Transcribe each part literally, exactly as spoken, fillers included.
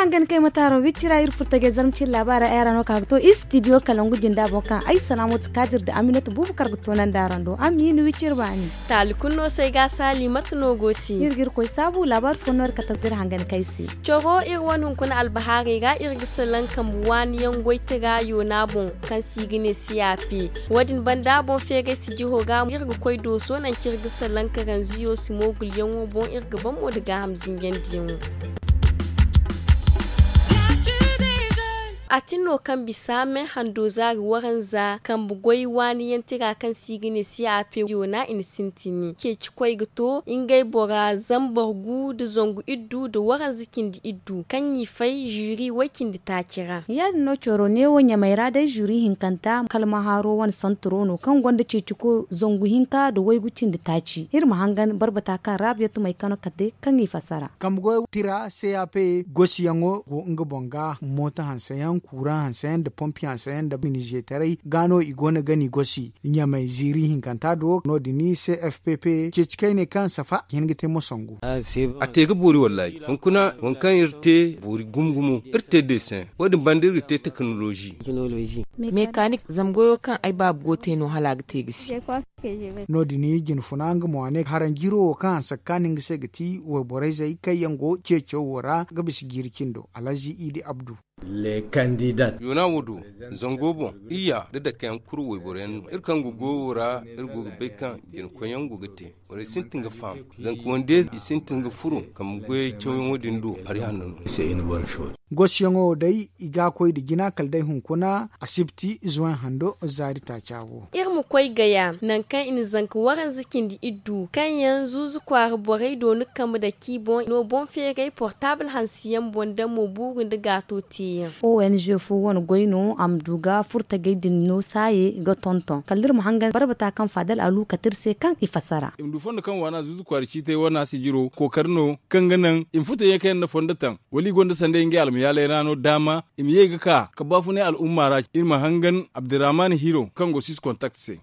Hangan kay mataaro wicci ra iri furtajey zarma cine laabaara ay ra no ka ga to istidiyo kalangu jinda boŋ kaŋ ay salaamatu kaadir nda aminatu buubu kar ga toonandi araŋ do. Amma i na wicci iri baani. Taali kulu no se ay ga a saali mate no go ti? Iri ga iri koy saabu laabaari fo no iri kate ga iri hangan kay se. Coro iri wane hunkuna albahaarey ra iri ga salaŋ kambe waani yaŋ goy tira yoona boŋ kaŋ se i ga ne siyape. Wo- din banda boŋ feeray sijiro ra iri ga koy dooso nangu kaŋ iri ga salaŋ karanziyo si moogulyaŋo boŋ iri ga ban mo nda gaaham zinjandiyaŋo. A tin no kaŋ bisa me hando zaari waranza kambe goy waani yaŋ tira kaŋ se i ga ne siyape yoona i na sintin. Ceecikoy ga to ngey bora zambar gu nda zangu iddu nda waranza cindi iddu kaŋ i fay zuri way cindi taaci ra. Ya- din no coro neewo ɲamay ra day zuri hinkanta kalmahaaro wane santaro no kaŋ gonda ceeciko zangu hinka nda waygu cindi taaci iri ma hangan barbata kaŋ raabiyatu may kano kate kaŋ i fassara. Kambe goy tira cap gosiyaŋo go nga boŋ ga mooto hanseyaŋ kuuraŋ hanseyaŋ nda pompi hanseyaŋ nda minizeetaray ga no i go no ga ni gosi ɲamay ziiri hinkanta do no- din cfpp ceeci kayney kaŋ safa ga hin ga te mosangu. A te ga boori wallaahi hunkuna waŋ kaŋ iri te boori gumo gumo iri te deeseŋ wo- din banda iri ga te tekinolozi. Mekanik zama goyo kaŋ ay baaba go ga te no hala a ga te ga si. No- din jinfuna nga mo a ne haranjiro wo kaŋ hanse ga kaanu nga se ga ti wayborey zey kaŋ yaŋ go ceeco wo ra ga bisa jiiri cindo alhazi idi abdu. Yoona wo do zango boŋ iyya nda dake yaŋ kulu wayboro yaŋ no iri kaŋ go goyo ra iri go ga bay kaŋ jina koyyaŋ go ga te. Borey sintin ga faham zanka wande i sintin ga furo kambe goyey cawyaŋo din do hari hanno no. Gosiyaŋo wo day i ga a koy nda jina kala day hunkuna asibti zuwaŋ hando zaari taaca wo. Iri ma koy gaya nangu kaŋ i na zanka waranza cindi iddu kaŋ yaŋ zuuzu kwaara borey dooni kambe dake i boŋ no boŋ feeray portaabul hanse yaŋ boŋ daŋ mo buuru nda gaato te yaŋ. Ong fo wane goy no a ma du ga furtajey din no saaye ga tonton kala iri ma hangan barbata kaŋ faadal alu kate iri se kaŋ i fassara. I ma du fondo kaŋ waana zuuzu kwaara ciitay wane a sijiro kookari no kaŋ ga naŋ i ma furtajey kaŋ yaŋ na fondo taŋ wala i gonda sanday ngey almayaaley ra no daama i ma ye ga ka ga baafunay al'umma ra iri ma hangan abdirahman hiro kaŋ go six contact se.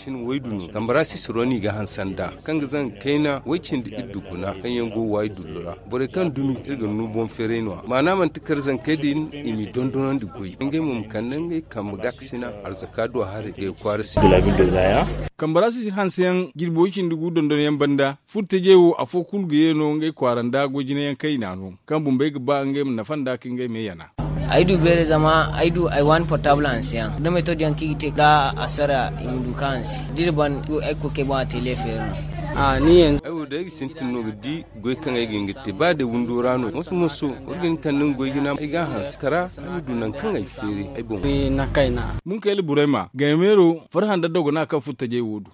Sina waydu no kambara sisiro no i ga hanse nd'a kaŋ ga zanga kayna way cindi iddu guna kaŋ yaŋ go waayi dullu ra. Borey kaŋ dumi iri ga nuu boŋ feeray no- ya maana manti kar zankey din i m'i dondonandi goy ngey mo ma kande ngey kambe gaakasina arzaka du a haray ngey kwaara se. Kambara sisir hanseyaŋ jirbi way cindi gu dondonyaŋ banda furtajey wo afo kulu ga ye no ngey kwaara nda goy jinayaŋ kayna no kaŋ bumbey ga ba ngey ma nafa nd'a ka ngey me yana. Ay du beere zama ay du ay waani portaabul hanseyaŋ da metod yaŋ kaŋ i ga te da asara i ma du ka hanse da iri ban du ay ga koy kay boŋ a te leefeeri no. Ay wo day ay ga sintin no ga di goy kaŋ ay ga hin ga te ba day windo ra no moso moso war ga hin kande nga goy jina ay ga a hanse kara ay ma du nangu kaŋ ay feeri ay boŋ. Munkayla burayma gaymeero farhã nda dogona kaŋ furtajey wo du.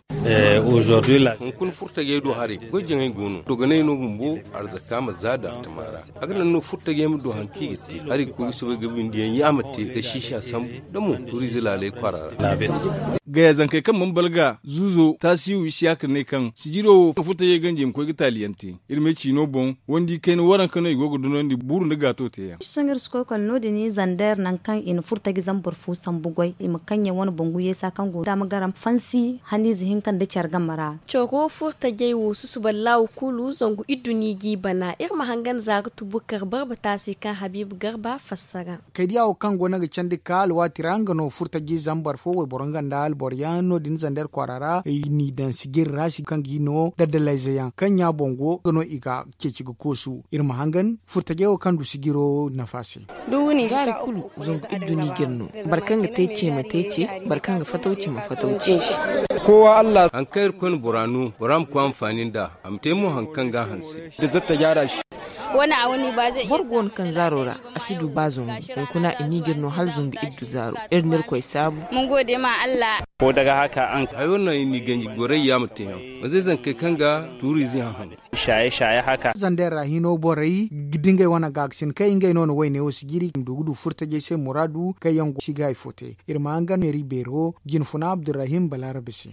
Hunkuna furtajey do haray goy jaŋay go no dogonay no bumbo arzaka ma za da tama ra. A ga naŋ no furtajey ma du hari kaŋ i ga te hari ga koy ga soobay ga bindiyaŋ yaama te ga siisa sambu da mo turiize laaley kwaara ra. Gaya zankey kaŋ mana balga zuuzo taasiihu isiyaaka ne kaŋ sijiro wo furtajey ganji i ma koy ga taaliyaŋ te. Iri ma ay ciino boŋ wandi kayna waranka no i go ga dunandi buuru nda gaato teeyaŋ. Sohõ iri si koy kala no- din zander nangu kaŋ i na furtaji zambar fu sambu goy i ma kaŋ yaŋ wane bangu yeesa kaŋ go daama garam fansi haniize hinka nda care game ra. Coro furtajey wo susuba laawu kulu zangu iddu no i g'i bana iri ma hangan za ga tubu kar barbata se kaŋ habiibu garba fassara. Kaydiya wo kaŋ go no ga candi ga ka alwaati ra nga no furtaji zambar fo wayboro nga nda alboro yaŋ no- din zander kwaara ra i n'i daŋ sijiri ra si kaŋ g'i no daddalayze yaŋ kaŋ ɲa boŋ go nga no i ga ceeci ga koosu iri ma hangan furtajey wo kaŋ du sijiro nafa se. Zaari kulu zangu iddu no i g'iri no boro kaŋ ga te ce ma te ce boro kaŋ ga fataw ce ma fataw ce. Haŋ kaŋ irkoy na bora no bora ma koy anfaani nd'a a ma te mo haŋ kaŋ ga a hanse. Boro go no kaŋ zaaro ra a si du ba zangu hunkuna i n'i g'iri no hala zangu iddu zaaro iri na irkoy saabu. Hayo naŋ i n'i ganji goray yaama teeyaŋ ma zay zankey kaŋ ga tuuriize haŋ haŋ. Zandey ra hino borey ga dingay wane gaakasin kaŋ ngey no na wayne wo sijiri i ma du ga du furtajey se muraadu kaŋ yaŋ go si ga hari fo te. Iri ma hangan meeri beero jinfuna abdurrahim balaarabe se.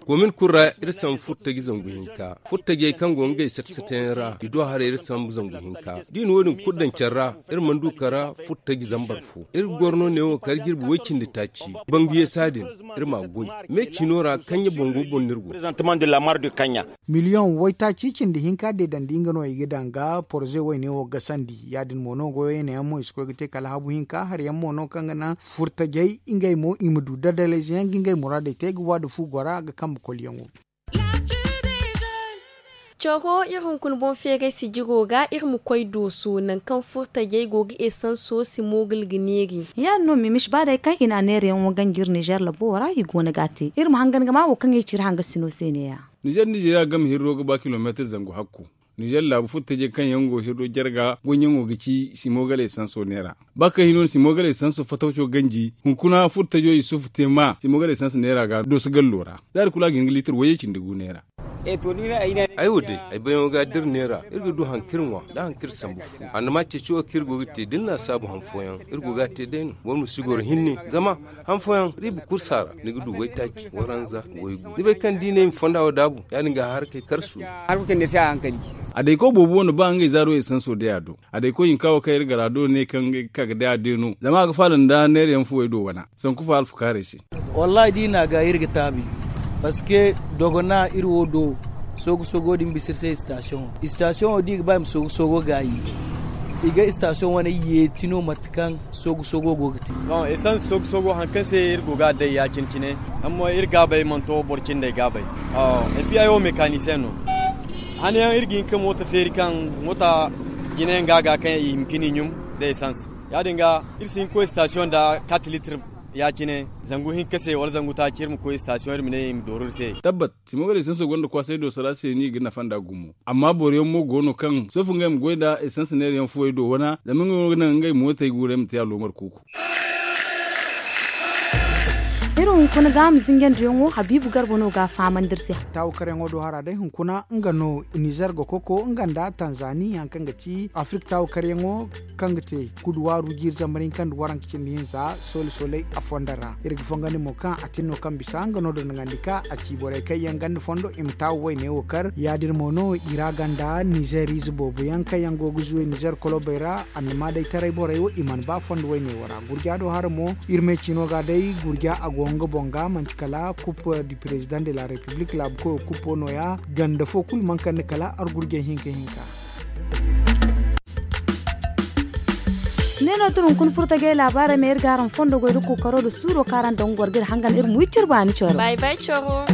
Komin kulu ra iri sambu furtaji zangu hinka furtajey kaŋ go ngey sata satayaŋ ra i du haray iri. sambu zangu hinka. Da i na wo- din kulu daŋ care ra, iri mana du kara furtaji zambar fo. Iri ga goro no neewo kala jirbi way-cindi taaci. Bangu yeesa din, iri m'a goy. Me ciino ra kaŋ ya bango boŋ no iri go. Miliyoŋ waytaaci cindi hinka deedandi nga no i ga daŋ ga poroze wayne wo gasandi. Ya- din mo no goyo yeenayaŋ mo i si koy ga te kala habu hinka hari yaŋ mo no kaŋ ga naŋ furtajey ngey mo i ma du dadalayze yaŋ ga ngey muraadey te ga waada fu gora ga kambe koliyaŋo. Coro iri hunkuna boŋ feeray sijiro ga iri ma koy dooso nangu kaŋ furtajey go ga esanso si moogul ga neeri. Ya- din no mimisi ba day kaŋ i na a neerayaŋo ganji iri nizer labo ra i go no ga a te iri ma hangan ga ma wo kaŋ i ci iri hangasino se ne- ya. Nizer nizeriya game hirro ga ba kilomeetir zangu hakku. Nizer laabu furtajey kaŋ yaŋ go hirro jarga goyyaŋo ga ci simoogale esanso neera. Ba kaŋ hino no simoogale esanso fatawco ganji hunkuna furtajo isufu te ma simoogale esanso neera ga dooso gallo ra. Za iri kulu a ga hin ga liitir wayye cindi gu neera. Ay wo day ay bayyaŋo ga da iri neera iri ga du hari kaŋ iri ŋwa nda hari kaŋ iri sambu fu. Annama ceeci wo kaŋ iri go ga te da ni laasaabu han fooyaŋ iri go ga a te day no boro ma si goro hinne. Zama han fooyaŋ riiba kursa ra ni ga du waytaaci waranza waygu ni bay kaŋ da i ne i ma fonda wo daabu ya- din ga a harakey karsu. A dayko boobo wane ba ngey zaaro esanso day a do. A dayko hinka wo kaŋ iri gar a do ne kaŋ ngey ga ka ga day a day no zama a ga faala nda neera yaŋ fuwey do wana sanku fa alfukaarey se. Wallahi da i na a ga iri ga taabi. Parceque dogona iri wo do soogu soogo din bisa iri se istasiyoŋo istasiyoŋo da i ga ba i ma soogu soogo gaayi. I ga istasiyoŋ wane yeeti no mate kaŋ soogu soogo go ga te. Bon esanse soogu soogo hari kaŋ se iri go ga a day ya- cine cine. Amma iri gaabey mana to boro cindey gaabey. Epi ay wo mekanisiyeŋ no. Hane yaŋ iri ga hin ka mooto feeri kaŋ moota jine yaŋ ga a ga kaŋ i hima ka ni ɲum nda esanse. Ya- din ga iri si hin ka koy istasiyoŋ nda kat litir ya- cine. Zangu hinka se wala zangu taaci iri ma koy istasiyoŋ iri ma ne i ma dooru iri se. Tabbat simoogale esanso gonda kwaasay dooso ra se no i ga nafa nd'a gumo. Amma boro yaŋ mo go no kaŋ soofu ngey ma goy nda esanse neera yaŋ fuwey do wana zama ngey no ga naŋ ngey mootey guurey ma te aloomar kuuku. Iri hunkuna ga a ma zinjandiyaŋo habiibu garba no ga a fahamandi iri se. Taawakaryaŋo do hara day hunkuna nga no nizer ga koko nga nda tanzani hari kaŋ ga ti afirik taawakaryaŋo kaŋ ga te kuduwaaru jiiri zambar hinka nda waranka cindi hinza soole sooley a fondo ra iri ga fongandi mo kaŋ a tin no kaŋ bisa nga no dondogandi ka a ci borey kaŋ yaŋ ganda fondo i ma taawu wayne wo kar ya- din mo no i ra ganda nizer ize boobo yaŋ kaŋ yaŋ go ga zuway nizer kolobey ra. Annama day taray borey wo i mana ba fondo wayne wo ra gurja do hara mo iri me cino ga day gurja a go nga boŋ ga manti kala kup du president de la republik laabu koyo kupo no- ya ganda fo kulu mana kande kala argurjey hinka hinka. Ne no tun hunkuna furtajey laabaarey ma iri ga araŋ fondo goy nda kookaro nda suuro kaŋ araŋ daŋ ga goro ga iri hangan iri ma wi cire baani coro. Bay bay coro.